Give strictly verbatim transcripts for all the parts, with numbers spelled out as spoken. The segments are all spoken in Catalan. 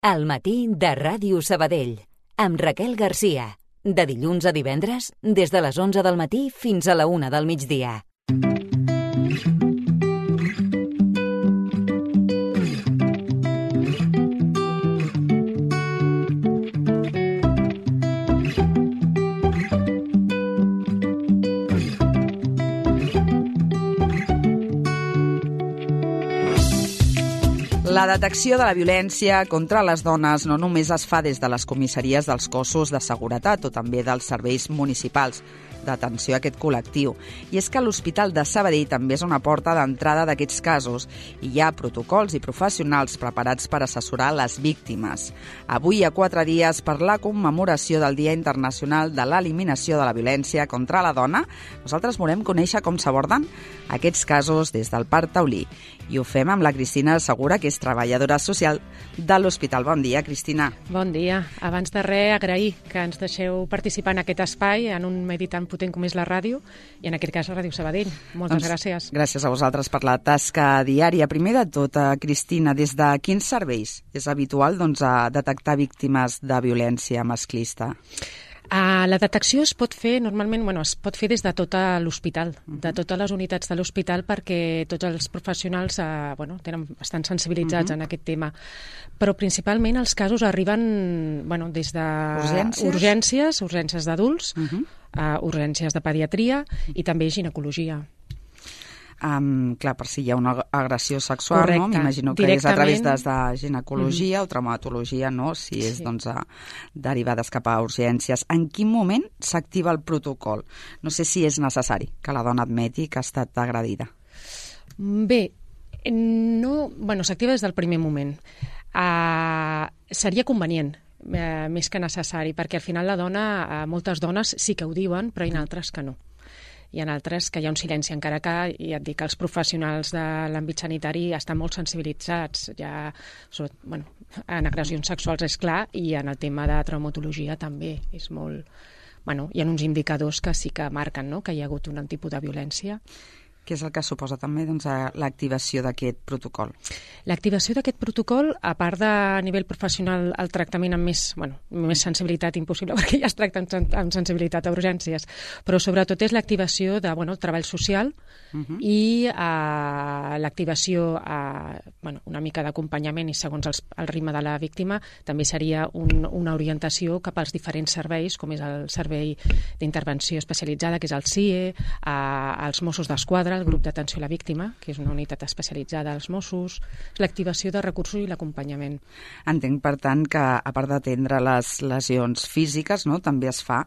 Al matí de Ràdio Sabadell, amb Raquel Garcia. De dilluns a divendres, des de les onze del matí fins a la una del migdia. La detecció de la violència contra les dones no només es fa des de les comissaries dels cossos de seguretat o també dels serveis municipals d'atenció a aquest col·lectiu. I és que l'Hospital de Sabadell també és una porta d'entrada d'aquests casos i hi ha protocols i professionals preparats per assessorar les víctimes. Avui, a quatre dies per la commemoració del Dia Internacional de l'Eliminació de la Violència contra la Dona, nosaltres volem conèixer com s'aborden aquests casos des del Parc Taulí. I ho fem amb la Cristina Segura, que és treballadora social de l'Hospital. Bon dia, Cristina. Bon dia. Abans de res, agrair que ens deixeu participar en aquest espai, en un medi tan potent com és la ràdio, i en aquest cas Ràdio Sabadell. Moltes doncs, gràcies. Gràcies a vosaltres per la tasca diària. Primer de tot, Cristina, des de quins serveis és habitual doncs, a detectar víctimes de violència masclista? Uh, la detecció es pot fer normalment, bueno, es pot fer des de tot l'hospital, uh-huh. de totes les unitats de l'hospital, perquè tots els professionals uh, bueno, tenen, estan sensibilitzats uh-huh. en aquest tema. Però principalment els casos arriben bueno, des de urgències, urgències, urgències d'adults, uh-huh. uh, urgències de pediatria i també ginecologia. Um, clar, per si hi ha una agressió sexual, correcte, no? M'imagino que és a través de, de ginecologia mm-hmm. o traumatologia, no? Si és sí. doncs, a, derivades cap a urgències. En quin moment s'activa el protocol? No sé si és necessari que la dona admeti que ha estat agredida. Bé, no, bueno, s'activa des del primer moment. Uh, seria convenient, uh, més que necessari, perquè al final la dona, uh, moltes dones sí que ho diuen, però hi ha altres que no. Hi ha altres que hi ha un silenci, encara que, ja et dic, els professionals de l'àmbit sanitari estan molt sensibilitzats, ja, sobre, bueno, en agressions sexuals és clar, i en el tema de traumatologia també és molt... Bueno, hi ha uns indicadors que sí que marquen, no?, que hi ha hagut un tipus de violència. Què és el que suposa també doncs, l'activació d'aquest protocol? L'activació d'aquest protocol, a part de a nivell professional el tractament amb més, bueno, més sensibilitat impossible, perquè ja es tracta amb sensibilitat a urgències, però sobretot és l'activació de bueno, treball social uh-huh. i uh, l'activació, uh, bueno, una mica d'acompanyament i segons els, el ritme de la víctima, també seria un, una orientació cap als diferents serveis, com és el Servei d'Intervenció Especialitzada, que és el C I E, uh, els Mossos d'Esquadra, el grup d'atenció a la víctima, que és una unitat especialitzada als Mossos, l'activació de recursos i l'acompanyament. Entenc, per tant, que a part d'atendre les lesions físiques, no, també es fa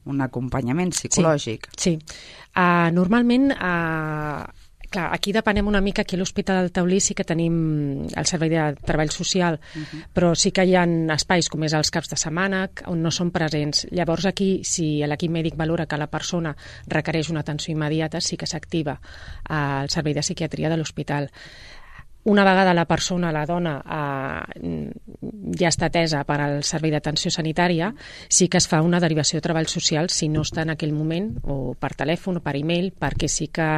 un acompanyament psicològic. Sí, sí. Uh, normalment... Uh, Clar, aquí depenem una mica, aquí a l'Hospital Taulí sí que tenim el servei de treball social, uh-huh. però sí que hi ha espais com és els caps de setmana on no són presents. Llavors aquí, si l'equip mèdic valora que la persona requereix una atenció immediata, sí que s'activa el servei de psiquiatria de l'hospital. Una vegada la persona, la dona, eh, ja està atesa per al servei d'atenció sanitària, sí que es fa una derivació de treball social si no està en aquell moment, o per telèfon o per e-mail, perquè sí que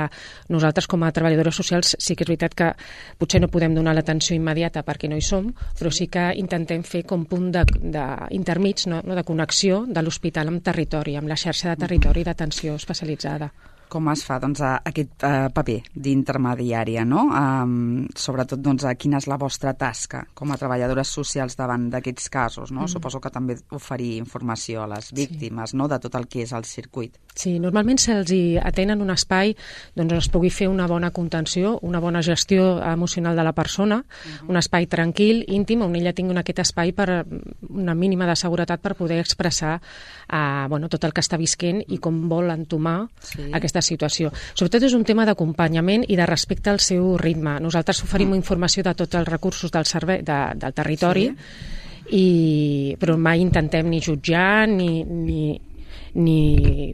nosaltres com a treballadores socials sí que és veritat que potser no podem donar l'atenció immediata perquè no hi som, però sí que intentem fer com punt d'intermig, no, no, de connexió de l'hospital amb territori, amb la xarxa de territori d'atenció especialitzada. Com es fa doncs, aquest uh, paper d'intermediària, no? Um, sobretot, doncs, quina és la vostra tasca com a treballadores socials davant d'aquests casos, no? Mm. Suposo que també oferir informació a les víctimes, sí. no?, de tot el que és el circuit. Sí, normalment se'ls atén en un espai doncs es pugui fer una bona contenció, una bona gestió emocional de la persona, uh-huh. un espai tranquil, íntim, on ella tingui aquest espai per una mínima de seguretat per poder expressar uh, bueno, tot el que està visquent i com vol entomar sí. aquesta situació. Sobretot és un tema d'acompanyament i de respecte al seu ritme. Nosaltres oferim uh-huh. informació de tots els recursos del servei, de, del territori, sí. i, però mai intentem ni jutjar ni... ni Ni,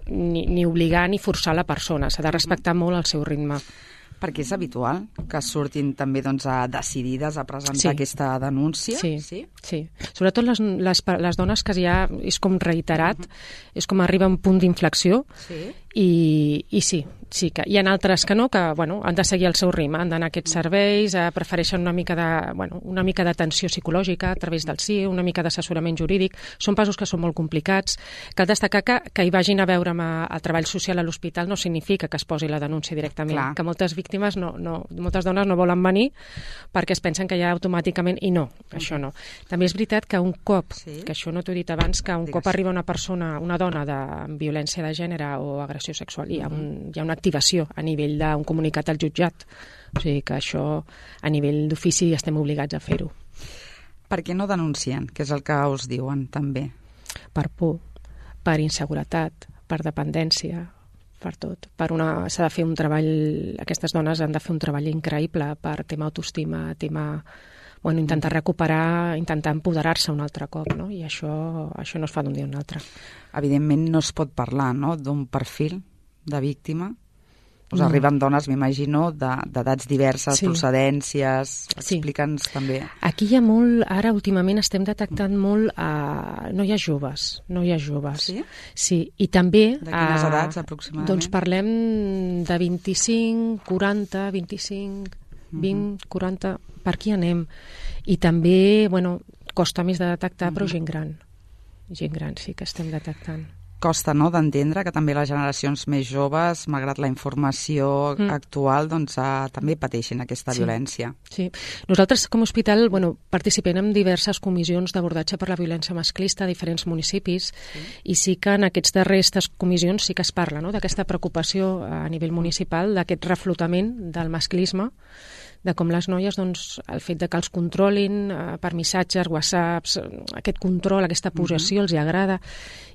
ni, ni obligar ni forçar la persona, s'ha de respectar molt el seu ritme. Perquè és habitual que surtin també doncs, a decidides a presentar sí. aquesta denúncia? Sí, sí. sí. Sobretot les, les, les dones que ja és com reiterat, uh-huh. és com arriba a un punt d'inflexió sí. i, i sí, sí que hi ha altres que no, que bueno, han de seguir el seu ritme, han d'anar a aquests serveis, eh, prefereixen una mica de, bueno, una mica d'atenció psicològica a través del C I E, una mica d'assessorament jurídic. Són passos que són molt complicats. Cal destacar que, que hi vagin a veure amb el treball social a l'hospital no significa que es posi la denúncia directament, Clar. que moltes víctimes, no, no, moltes dones no volen venir perquè es pensen que ja automàticament, i no, això no. També és veritat que un cop, sí? que això no t'ho he dit abans, que un Digues. cop arriba una persona, una dona de violència de gènere o agressió sexual, hi ha, un, hi ha una activació a nivell d'un comunicat al jutjat. O sigui que això, a nivell d'ofici, estem obligats a fer-ho. Per què no denuncien? Què és el que us diuen, també? Per por, per inseguretat, per dependència, per tot. Per una, s'ha de fer un treball, aquestes dones han de fer un treball increïble per tema autoestima, tema, bueno, intentar recuperar, intentar empoderar-se un altre cop, no? I això, això no es fa d'un dia a un altre. Evidentment no es pot parlar, no?, d'un perfil de víctima. Us no. arriben dones, m'imagino, d'edats diverses, sí. procedències. Explica'ns sí. també. Aquí hi ha molt, ara últimament estem detectant molt a noies joves, noies joves. Sí? Sí, i també... De quines a, edats, aproximadament? Doncs parlem de vint-i-cinc, quaranta, vint-i-cinc, vint, uh-huh. quaranta, per aquí anem. I també, bueno, costa més de detectar, uh-huh. però gent gran. Gent gran sí que estem detectant. Costa, no?, d'entendre que també les generacions més joves, malgrat la informació mm. actual, doncs uh, també pateixen aquesta sí. violència. Sí. Nosaltres, com a hospital, bueno, participem en diverses comissions d'abordatge per la violència masclista a diferents municipis sí. i sí que en aquests darrers comissions sí que es parla, no?, d'aquesta preocupació a nivell municipal, d'aquest reflotament del masclisme, de com les noies, doncs, el fet de que els controlin eh, per missatges, whatsapps, aquest control, aquesta possessió, uh-huh. els hi agrada.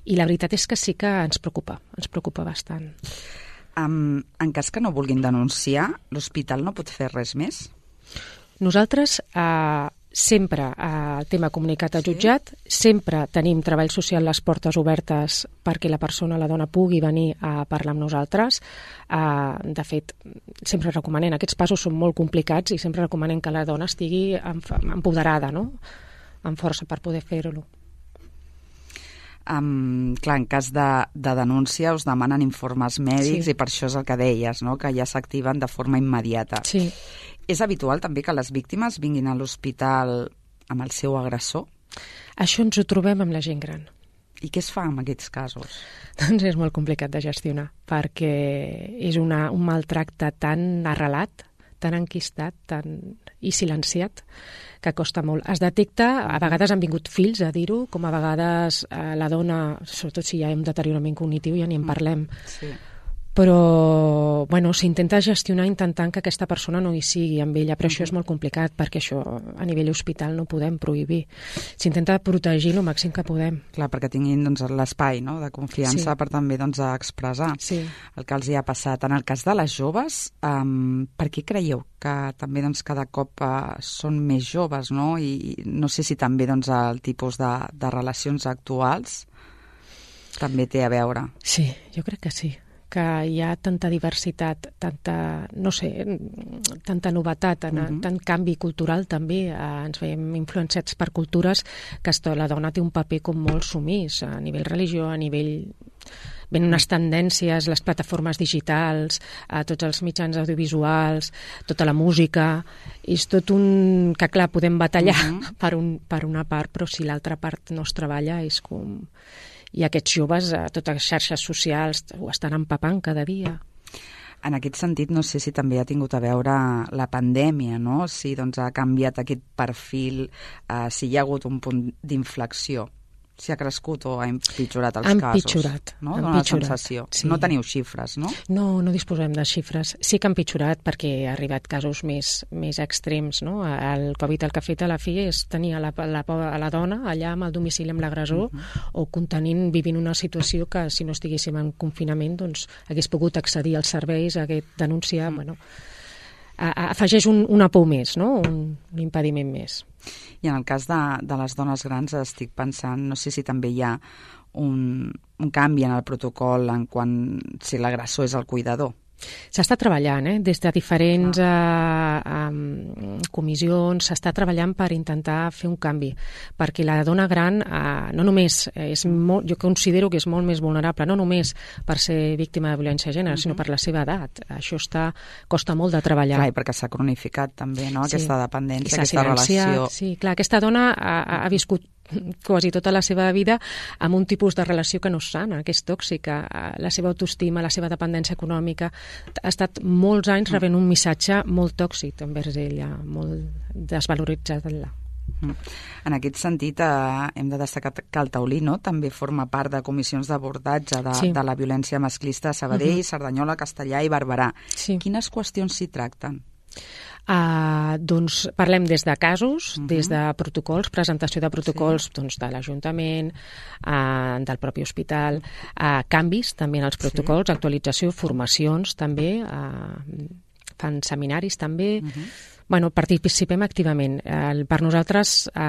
I la veritat és que sí que ens preocupa, ens preocupa bastant. Um, en cas que no vulguin denunciar, l'hospital no pot fer res més? Nosaltres eh, sempre el tema comunicat al jutjat, sí? sempre tenim treball social les portes obertes perquè la persona, la dona, pugui venir a parlar amb nosaltres. Uh, de fet, sempre recomanem, aquests passos són molt complicats i sempre recomanem que la dona estigui empoderada, no?, amb força per poder fer-ho. Um, clar, en cas de, de denúncia us demanen informes mèdics sí. i per això és el que deies, no?, que ja s'activen de forma immediata. Sí. És habitual també que les víctimes vinguin a l'hospital amb el seu agressor? Això ens ho trobem amb la gent gran. I què es fa en aquests casos? Doncs és molt complicat de gestionar, perquè és una, un maltracte tan arrelat, tan enquistat tan... i silenciat, que costa molt. Es detecta, a vegades han vingut fills a dir-ho, com a vegades eh, la dona, sobretot si hi ha un deteriorament cognitiu, ja ni en parlem. Sí. Però, bueno, s'intenta gestionar intentant que aquesta persona no hi sigui amb ella, però uh-huh. això és molt complicat perquè això a nivell hospital no podem prohibir. S'intenta protegir el màxim que podem. Clar, perquè tinguin doncs, l'espai, no?, de confiança sí. per també doncs, expressar sí. el que els hi ha passat. En el cas de les joves, um, per què creieu que també doncs, cada cop uh, són més joves, no? I no sé si també doncs, el tipus de, de relacions actuals també té a veure. Sí, jo crec que sí. Que hi ha tanta diversitat, tanta, no sé, tanta novetat, uh-huh. tant canvi cultural també, eh, ens veiem influenciats per cultures que esto, la dona té un paper com molt sumís a nivell religió, a nivell... Ven unes tendències, les plataformes digitals, a tots els mitjans audiovisuals, tota la música, i és tot un... que clar, podem batallar uh-huh. per, un, per una part, però si l'altra part no es treballa és com... I aquests joves, a totes les xarxes socials, ho estan empapant cada dia. En aquest sentit, no sé si també ha tingut a veure la pandèmia, no? Si doncs, ha canviat aquest perfil, eh, si hi ha hagut un punt d'inflexió, si ha crescut o ha empitjorat els empitjorat, casos. Empitjorat, no? Dóna la sensació. Sí. No teniu xifres, no? No, no disposem de xifres. Sí que ha empitjorat perquè ha arribat casos més, més extrems, no? El Covid el que ha fet a la fi és tenir a la, la, a la dona allà amb el domicili amb l'agressor uh-huh. o contenint, vivint una situació que si no estiguéssim en confinament doncs hagués pogut accedir als serveis, hagués denunciar, uh-huh. bueno... afegeix un, una por més, no? un, un impediment més. I en el cas de, de les dones grans estic pensant, no sé si també hi ha un, un canvi en el protocol en quan si l'agressor és el cuidador. S'està treballant, eh? Des de diferents ah. eh, eh, comissions, s'està treballant per intentar fer un canvi, perquè la dona gran eh, no només és molt, jo considero que és molt més vulnerable, no només per ser víctima de violència de gènere, uh-huh. sinó per la seva edat. Això està, costa molt de treballar. Clar, i perquè s'ha cronificat també, no? Sí. Aquesta dependència, aquesta relació. Sí, clar, aquesta dona ha, ha viscut quasi tota la seva vida amb un tipus de relació que no és sana, que és tòxica. La seva autoestima, la seva dependència econòmica, ha estat molts anys rebent un missatge molt tòxic envers ella, molt desvaloritzat. En aquest sentit, eh, hem de destacar que el Taulí, no?, també forma part de comissions d'abordatge de, sí. de la violència masclista a Sabadell, uh-huh. Cerdanyola, Castellà i Barberà. Sí. Quines qüestions s'hi tracten? Uh, doncs parlem des de casos, uh-huh. des de protocols, presentació de protocols sí. doncs, de l'Ajuntament, uh, del propi hospital, uh, canvis també en els protocols, sí. actualització, formacions també, uh, fan seminaris també. Uh-huh. Bueno, participem activament. Eh, per nosaltres, eh,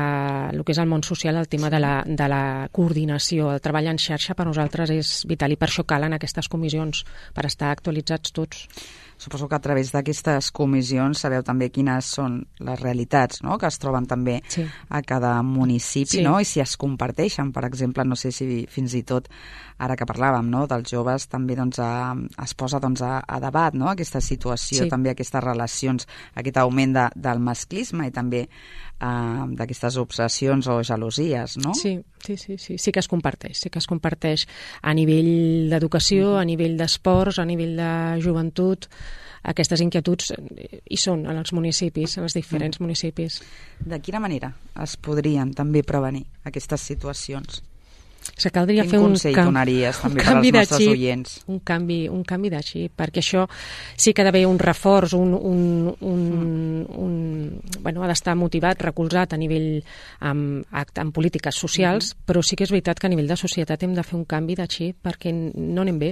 el que és el món social, el tema sí. de, la, de la coordinació, el treball en xarxa, per nosaltres és vital i per això calen aquestes comissions, per estar actualitzats tots. Suposo que a través d'aquestes comissions sabeu també quines són les realitats, no?, que es troben també sí. a cada municipi, sí. no?, i si es comparteixen, per exemple, no sé si fins i tot, ara que parlàvem, no?, dels joves, també doncs, a, es posa doncs, a, a debat, no?, aquesta situació, sí. també aquestes relacions, aquest augment de, del masclisme i també uh, d'aquestes obsessions o gelosies, no? Sí, sí, sí, sí, sí que es comparteix, sí que es comparteix a nivell d'educació, mm-hmm. a nivell d'esports, a nivell de joventut. Aquestes inquietuds hi són en els municipis, en els diferents mm. municipis. De quina manera es podrien també prevenir aquestes situacions? Se caldria Quin fer un, consell cam... donaries també un per canvi als nostres de xip, oients? Un canvi, un canvi de xip, perquè això sí que ha d'haver un reforç, un, un, un, mm. un, bueno, ha d'estar motivat, recolzat a nivell amb, amb polítiques socials, mm-hmm. però sí que és veritat que a nivell de societat hem de fer un canvi de xip perquè no anem bé,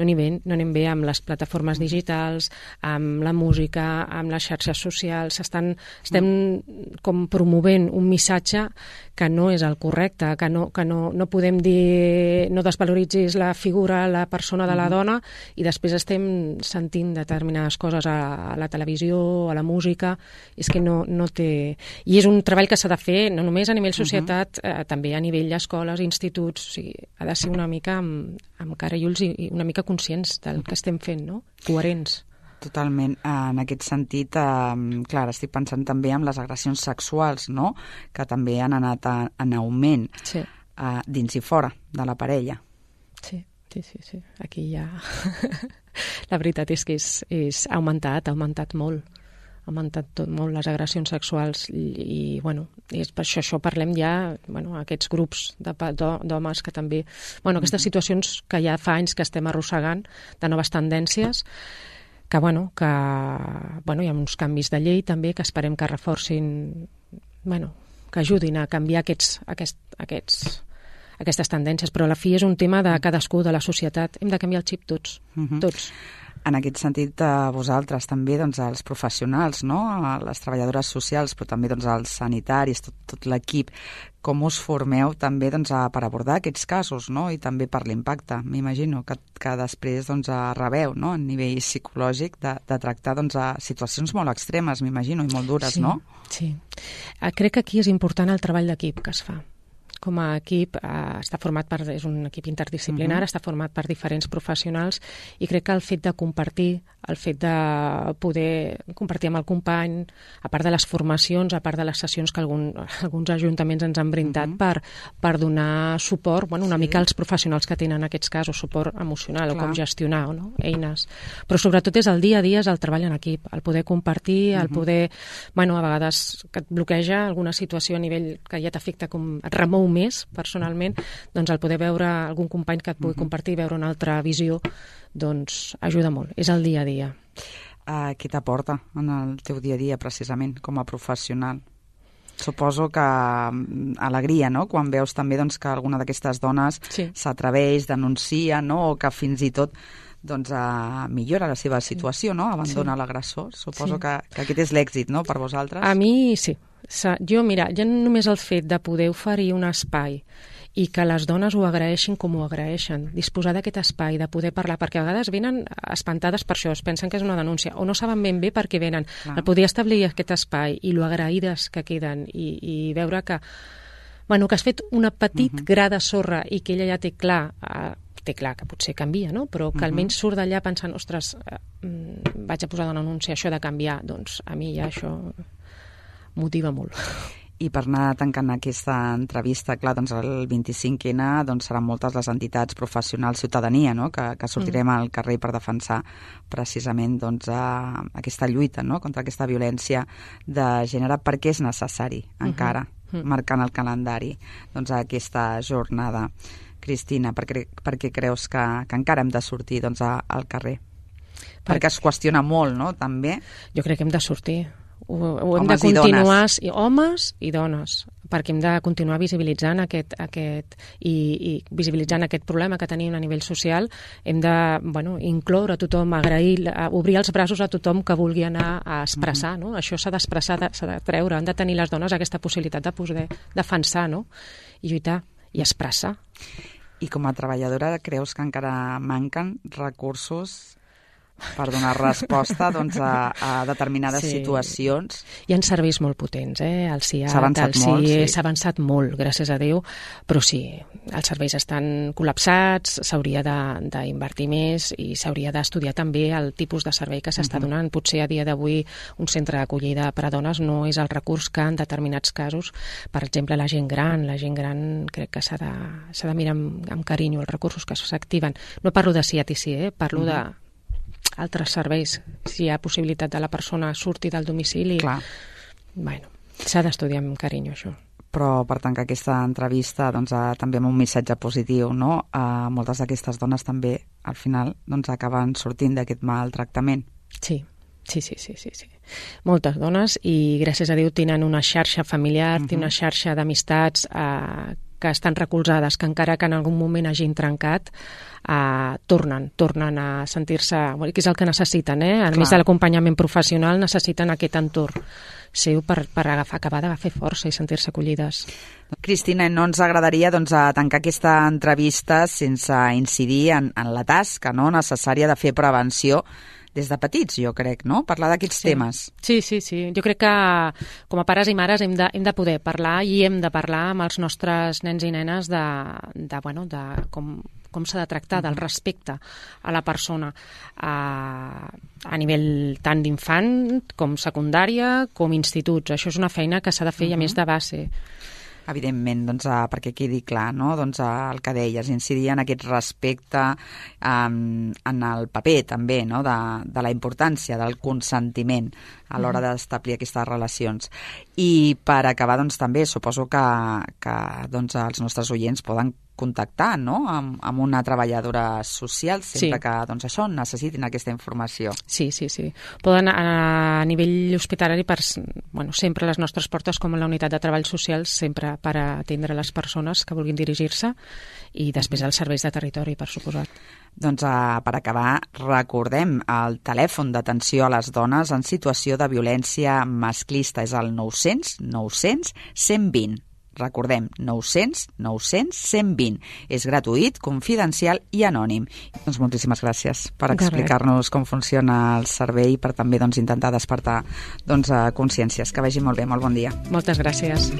no anem bé, no anem bé amb les plataformes digitals, amb la música, amb les xarxes socials, estan, estem mm. com promovent un missatge que no és el correcte, que no, que no, no podem dir no desvaloritzis la figura, la persona de la dona i després estem sentint determinades coses a, a la televisió, a la música, és que no, no té... I és un treball que s'ha de fer no només a nivell societat, uh-huh. eh, també a nivell d'escoles, instituts, o sigui, ha de ser una mica amb, amb cara i ulls i, i una mica conscients del que estem fent, no? Coherents. Totalment. En aquest sentit, eh, clar, estic pensant també en les agressions sexuals, no?, que també han anat a, en augment sí. eh, dins i fora de la parella. Sí, sí, sí. sí. Aquí ja... la veritat és que és, és ha augmentat, ha augmentat molt. Ha augmentat tot molt les agressions sexuals i, i bueno, és per això, això parlem ja, bueno, aquests grups de, d'homes que també... Bueno, aquestes situacions que ja fa anys que estem arrossegant de noves tendències, que, bueno, que bueno, hi ha uns canvis de llei també que esperem que reforcin, bueno, que ajudin a canviar aquests, aquest, aquests, aquestes tendències, però a la fi és un tema de cadascú, de la societat. Hem de canviar el xip tots, uh-huh. tots. En aquest sentit, a vosaltres també, doncs, els professionals, no?, les treballadores socials, però també doncs, els sanitaris, tot, tot l'equip, com us formeu també doncs, a, per abordar aquests casos, no?, i també per l'impacte, m'imagino, que, que després doncs, rebeu, no?, a nivell psicològic de, de tractar doncs, a situacions molt extremes, m'imagino, i molt dures, sí, no? Sí, crec que aquí és important el treball d'equip que es fa. Com a equip eh, està format per, és un equip interdisciplinar, uh-huh. està format per diferents professionals i crec que el fet de compartir, el fet de poder compartir amb el company, a part de les formacions, a part de les sessions que algun, alguns ajuntaments ens han brindat uh-huh. per, per donar suport, bueno, una sí. mica als professionals que tenen aquests casos, suport emocional, Clar. o com gestionar, no? Eines. Però sobretot és el dia a dia, és el treball en equip, el poder compartir, el uh-huh. poder, bueno, a vegades que et bloqueja alguna situació a nivell que ja t'afecta, com et remou més personalment, doncs el poder veure algun company que et pugui uh-huh. compartir, veure una altra visió, doncs ajuda molt. És el dia a dia. Uh, què t'aporta en el teu dia a dia, precisament, com a professional? Suposo que um, alegria, no?, quan veus també doncs, que alguna d'aquestes dones sí. s'atreveix, denuncia, no?, o que fins i tot doncs, uh, millora la seva situació, no?, abandona sí. l'agressor. Suposo sí. que, que aquest és l'èxit, no?, per vosaltres. A mi sí. Jo, mira, ja només el fet de poder oferir un espai i que les dones ho agraeixin com ho agraeixen, disposar d'aquest espai, de poder parlar, perquè a vegades venen espantades per això, es pensen que és una denúncia, o no saben ben bé per què venen. Clar. El poder establir aquest espai i lo agraïdes que queden i, i veure que, bueno, que has fet una petit uh-huh. gra de sorra i que ella ja té clar, eh, té clar que potser canvia, no? Però que uh-huh. almenys surt d'allà pensant, ostres, eh, vaig a posar una denúncia, això de canviar, doncs a mi ja això motiva molt. I per anar tancant aquesta entrevista, clar, doncs el vint-i-cinc ene doncs seran moltes les entitats professionals, ciutadania, no? que, que sortirem mm. al carrer per defensar precisament doncs, a, aquesta lluita, no? contra aquesta violència de gènere, perquè és necessari encara, mm-hmm. marcant el calendari doncs, aquesta jornada. Cristina, per què, per què creus que, que encara hem de sortir doncs, a, al carrer? Per... Perquè es qüestiona molt, no?, també. Jo crec que hem de sortir. Ho, ho hem homes de continuar, i dones. I homes i dones, perquè hem de continuar visibilitzant aquest, aquest i, i visibilitzant aquest problema que tenim a nivell social. Hem de, bueno, incloure a tothom, agrair, obrir els braços a tothom que vulgui anar a expressar, no? Això s'ha d'expressar, s'ha de treure, han de tenir les dones aquesta possibilitat de poder defensar, no?, i lluitar i expressar. I com a treballadora creus que encara manquen recursos per donar resposta doncs, a, a determinades sí. situacions? Hi ha serveis molt potents, eh? El C I A, s'ha avançat el molt, sí. S'ha avançat molt, gràcies a Déu, però sí, els serveis estan col·lapsats, s'hauria d'invertir més i s'hauria d'estudiar també el tipus de servei que s'està uh-huh. donant. Potser a dia d'avui un centre d'acollida per a dones no és el recurs que en determinats casos, per exemple, la gent gran, la gent gran crec que s'ha de, s'ha de mirar amb, amb carinyo els recursos que s'activen. No parlo de C I A T C, eh? Parlo uh-huh. de altres serveis, si hi ha possibilitat de la persona surti del domicili. Clar. Bueno, s'ha d'estudiar amb carinyo, això. Però per tancar aquesta entrevista doncs, eh, també amb un missatge positiu, no? Eh, moltes d'aquestes dones també al final doncs, acaben sortint d'aquest maltractament. Sí, sí, sí, sí, sí, sí. Moltes dones, i gràcies a Déu tenen una xarxa familiar, uh-huh. tenen una xarxa d'amistats eh, que estan recolzades, que encara que en algun moment hagin trencat, eh, tornen, tornen a sentir-se, que és el que necessiten, eh? A Clar. Més de l'acompanyament professional, necessiten aquest entorn seu per, per agafar, acabar de fer força i sentir-se acollides. Cristina, no ens agradaria doncs, a tancar aquesta entrevista sense incidir en, en la tasca, no?, necessària de fer prevenció des de petits, jo crec, no?, parlar d'aquests sí. temes. Sí, sí, sí. Jo crec que com a pares i mares hem de, hem de poder parlar i hem de parlar amb els nostres nens i nenes de, de, bueno, de com, com s'ha de tractar, del respecte a la persona a, a nivell tant d'infant com secundària com instituts. Això és una feina que s'ha de fer uh-huh. i a més de base. Evidentment, doncs, uh, perquè quedi clar, no? doncs, uh, el que deies, incidir en aquest respecte, um, en el paper també, no? de, de la importància del consentiment a l'hora d'establir aquestes relacions. I per acabar, doncs, també suposo que, que doncs, els nostres oients poden contactar, no?, amb, amb una treballadora social sempre sí. que doncs, això necessitin aquesta informació. Sí, sí, sí. Poden a, a nivell hospitalari, per, bueno, sempre les nostres portes com a la unitat de treball social, sempre per atendre les persones que vulguin dirigir-se, i després els serveis de territori, per suposat. Doncs uh, per acabar, recordem el telèfon d'atenció a les dones en situació de violència masclista, és el nou cents nou cents cent vint. Recordem, nou cents nou cents cent vint. És gratuït, confidencial i anònim. Doncs moltíssimes gràcies per explicar-nos com funciona el servei i per també doncs, intentar despertar doncs, consciències. Que vagi molt bé, molt bon dia. Moltes gràcies.